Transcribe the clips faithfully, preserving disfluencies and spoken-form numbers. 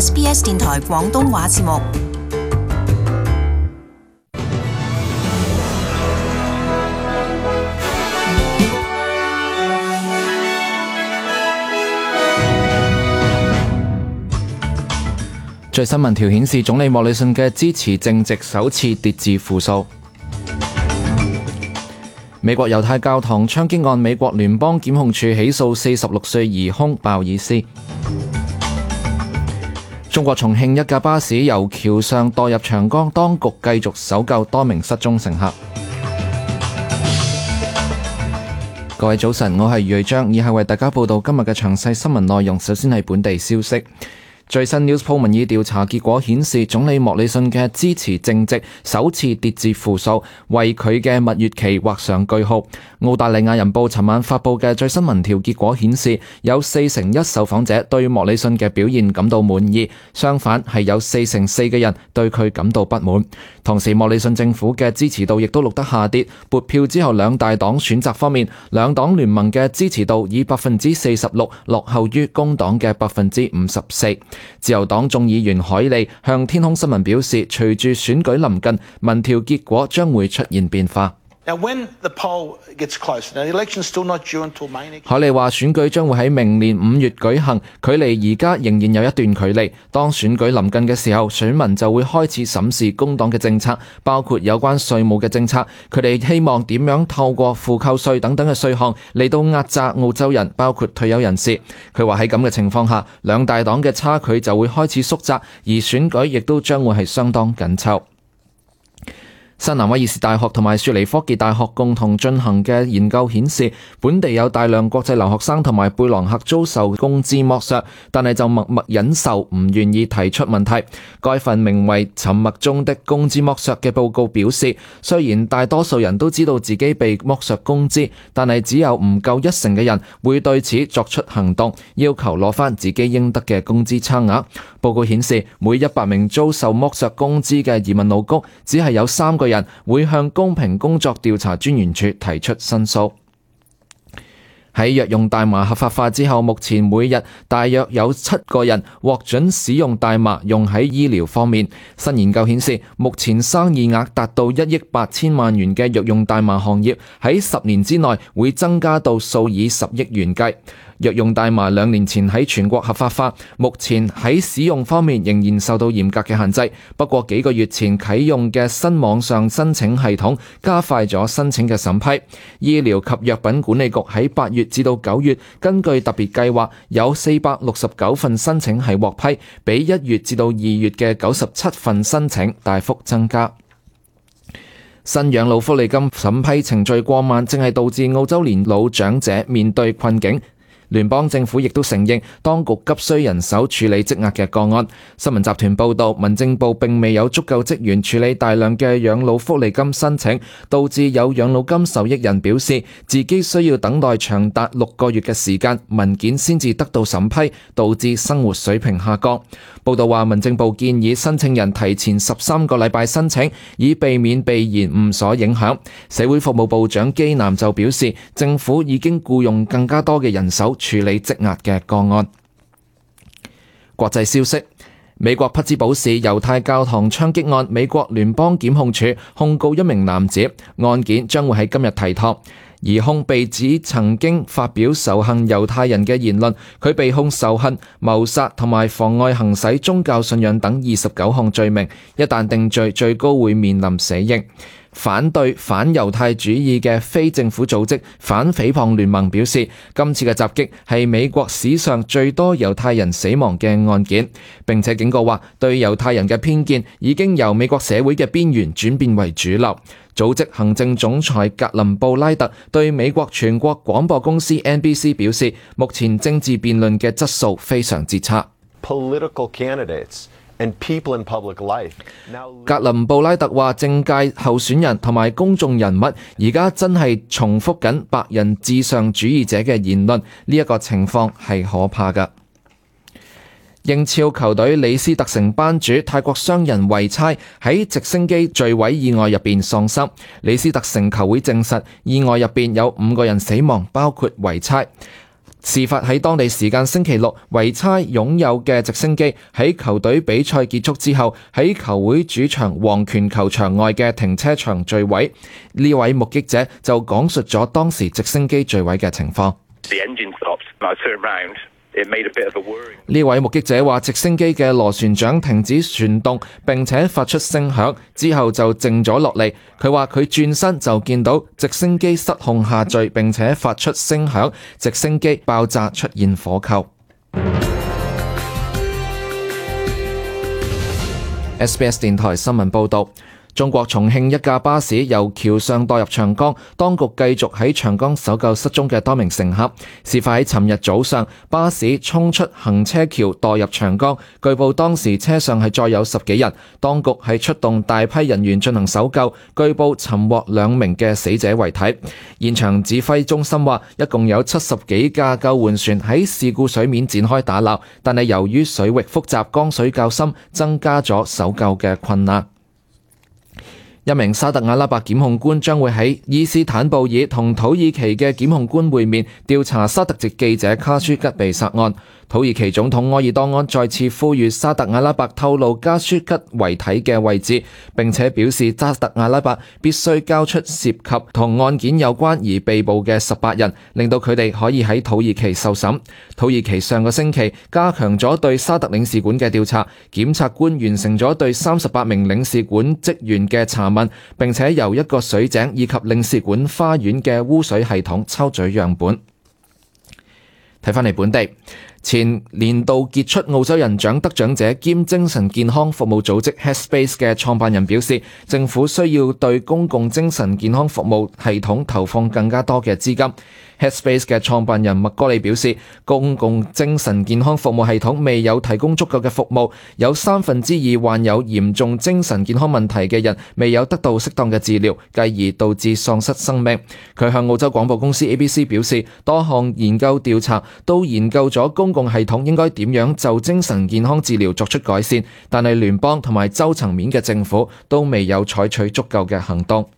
S B S 電台廣東話節目。最新民調顯示，總理莫里遜嘅支持淨值首次跌至負數。美國猶太教堂槍擊案，美國聯邦檢控處起訴四十六歲疑兇鮑爾斯。中國重慶一架巴士由橋上墮入長江，當局繼續搜救多名失蹤乘客。各位早晨，我係余瑞章，以下為大家報道今日嘅詳細新聞內容。首先係本地消息。最新 Newspoll 民意調查結果顯示，總理莫里遜嘅支持淨值首次跌至負數，為佢嘅蜜月期畫上句號。澳大利亞人報尋晚發佈嘅最新民調結果顯示，有四成一受訪者對莫里遜嘅表現感到滿意，相反係有四成四嘅人對佢感到不滿。同時，莫里遜政府嘅支持度亦都錄得下跌。撥票之後，兩大黨選擇方面，兩黨聯盟嘅支持度以百分之四十六落後於工黨嘅百分之五十四。自由黨眾議員海利向天空新聞表示，隨住選舉臨近，民調結果將會出現變化。海利話選舉將會喺明年五月舉行，距離而家仍然有一段距離。當選舉臨近嘅時候，選民就會開始審視工黨嘅政策，包括有關稅務嘅政策。佢哋希望點樣透過負扣稅等等嘅稅項嚟到壓榨澳洲人，包括退休人士。佢話喺咁嘅情況下，兩大黨嘅差距就會開始縮窄，而選舉亦都將會係相當緊湊。新南威爾士大學同埋雪梨科技大學共同進行嘅研究顯示，本地有大量國際留學生同埋貝朗客遭受工資剝削，但係就默默忍受，唔願意提出問題。該份名為《沉默中的工資剝削》嘅報告表示，雖然大多數人都知道自己被剝削工資，但係只有唔夠一成嘅人會對此作出行動，要求攞返自己應得嘅工資差額。報告顯示，每一百名遭受剝削工資嘅移民勞工，只係有三個人會向公平工作調查專員處提出申訴。喺藥用大麻合法化之後，目前每日大約有七個人獲准使用大麻用喺醫療方面。新研究顯示，目前生意額達到一億八千萬元嘅藥用大麻行業喺十年之內會增加到數以十億元計。藥用大麻兩年前喺全國合法化，目前喺使用方面仍然受到嚴格嘅限制。不過幾個月前啟用嘅新網上申請系統加快咗申請嘅審批。醫療及藥品管理局喺八月至到九月，根據特別計劃，有四百六十九份申請係獲批，比一月至到二月嘅九十七份申請大幅增加。新養老福利金審批程序過慢，正係導致澳洲年老長者面對困境。聯邦政府亦都承認，當局急需人手處理積壓嘅個案。新聞集團報道，民政部並未有足夠職員處理大量嘅養老福利金申請，導致有養老金受益人表示自己需要等待長達六個月嘅時間，文件先至得到審批，導致生活水平下降。報道話，民政部建議申請人提前十三個禮拜申請，以避免被延誤所影響。社會服務部長基南就表示，政府已經僱用更加多嘅人手處理積壓嘅個案。國際消息，美國匹茲堡市猶太教堂槍擊案，美國聯邦檢控處控告一名男子，案件將會喺今日提堂。疑兇被指曾經發表仇恨猶太人嘅言論，佢被控仇恨、謀殺同埋妨礙行使宗教信仰等二十九項罪名，一旦定罪，最高會面臨死刑。反對反猶太主義嘅非政府組織反誹謗聯盟表示，今次嘅襲擊係美國史上最多猶太人死亡嘅案件，並且警告話，對猶太人嘅偏見已經由美國社會嘅邊緣轉變為主流。組織行政總裁格林布拉特對美國全國廣播公司 N B C 表示，目前政治辯論嘅質素非常之差。Political candidates and people in public life. 格林布拉特話，政界候選人同埋公眾人物而家真係重複緊白人至上主義者嘅言論，呢一個情況係可怕㗎。英超球隊李斯特城班主泰國商人維差喺直升機墜毀意外入邊喪生。李斯特城球會證實，意外入邊有五個人死亡，包括維差。事發喺當地時間星期六，維差擁有嘅直升機喺球隊比賽結束之後，喺球會主場黃權球場外嘅停車場墜毀。呢位目擊者就講述咗當時直升機墜毀嘅情況。呢位目擊者話，直升機嘅螺旋槳停止旋動並且發出聲響，之後就靜咗落嚟。佢話佢轉身就見到直升機失控下墜並且發出聲響，直升機爆炸出現火球。S B S 電台新聞報導。中國重慶一架巴士由橋上墮入長江，當局繼續喺長江搜救失蹤嘅多名乘客。事發喺尋日早上，巴士衝出行車橋墮入長江，據報當時車上係載有十幾人，當局係出動大批人員進行搜救，據報尋獲兩名嘅死者遺體。現場指揮中心話，一共有七十幾架救援船喺事故水面展開打撈，但係由於水域複雜、江水較深，增加咗搜救嘅困難。一名沙特阿拉伯檢控官將會喺伊斯坦布爾同土耳其嘅檢控官會面，調查沙特籍記者卡舒吉被殺案。土耳其總統埃爾多安再次呼籲沙特阿拉伯透露卡舒吉遺體嘅位置，並且表示沙特阿拉伯必須交出涉及同案件有關而被捕嘅十八人，令到佢哋可以喺土耳其受審。土耳其上個星期加強咗對沙特領事館嘅調查，檢察官完成咗對三十八名領事館職員嘅查問，並且由一個水井以及領事館花園嘅污水系統抽取樣本。睇返嚟本地，前年度傑出澳洲人獎得獎者兼精神健康服務組織 Headspace 嘅創辦人表示，政府需要對公共精神健康服務系統投放更加多嘅資金。Headspace 嘅創辦人麥哥利表示，公共精神健康服務系統未有提供足夠嘅服務，有三分之二患有嚴重精神健康問題嘅人未有得到適當嘅治療，繼而導致喪失生命。佢向澳洲廣播公司 A B C 表示，多項研究調查都研究咗公共系統應該點樣就精神健康治療作出改善，但係聯邦同埋州層面嘅政府都未有採取足夠嘅行動。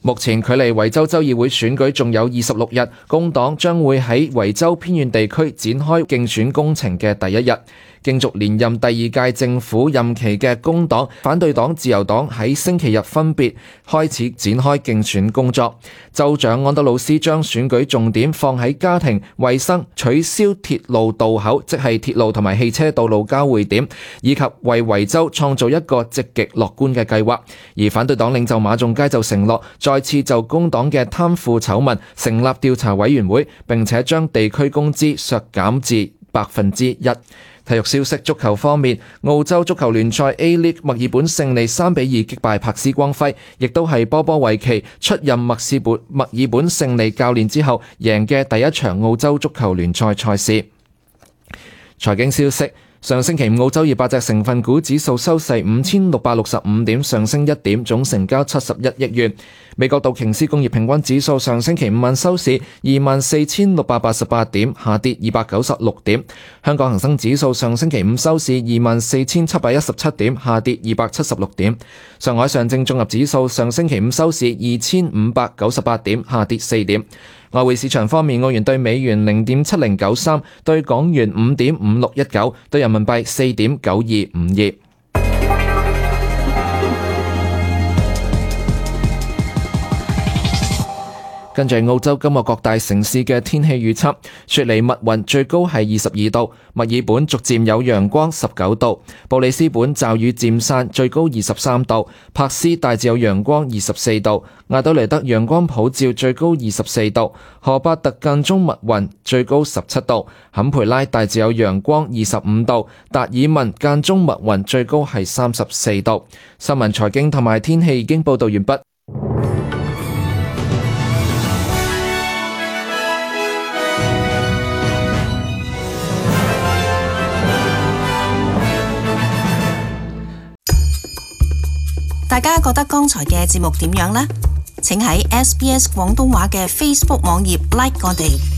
目前距離維州州議會選舉仲有二十六日，工黨將會喺維州偏遠地區展開競選工程嘅第一日。競逐連任第二屆政府任期嘅工黨、反對黨、自由黨喺星期日分別開始展開競選工作。州長安德魯斯將選舉重點放喺家庭、衛生、取消鐵路道口，即係鐵路同埋汽車道路交匯點，以及為維州創造一個積極樂觀嘅計劃。而反對黨領袖馬仲街就承諾再次就工黨嘅貪腐醜聞成立調查委員會，並且將地區工資削減至百分之一。體育消息，足球方面，澳洲足球聯賽 A-League 墨爾本勝利三比二擊敗柏斯光輝，亦都係波波維奇出任墨爾本墨爾本勝利教練之後贏嘅第一場澳洲足球聯賽賽事。財經消息，上星期五澳洲二百隻成分股指數收市五千六百六十五點，上升一點，總成交七十一億元。美國道瓊斯工業平均指數上星期五晚收市二萬四千六百八十八點，下跌二百九十六點。香港恒生指數上星期五收市二萬四千七百一十七點，下跌二百七十六點。上海上證綜合指數上星期五收市二千五百九十八點，下跌四點。外匯市場方面，澳元對美元零點七零九三，對港元五點五六一九，對人民幣四點九二五二。跟住澳洲今日各大城市嘅天氣預測，雪梨密雲最高係二十二度，墨爾本逐漸有陽光十九度，布里斯本驟雨漸散最高二十三度，柏斯大致有陽光二十四度，亞德雷德陽光普照最高二十四度，荷伯特間中密雲最高十七度，坎培拉大致有陽光二十五度，達爾文間中密雲最高係三十四度。新聞財經同埋天氣已經報道完畢。大家覺得剛才嘅節目點樣呢？請喺 S B S 廣東話嘅 Facebook 網頁 like 我哋。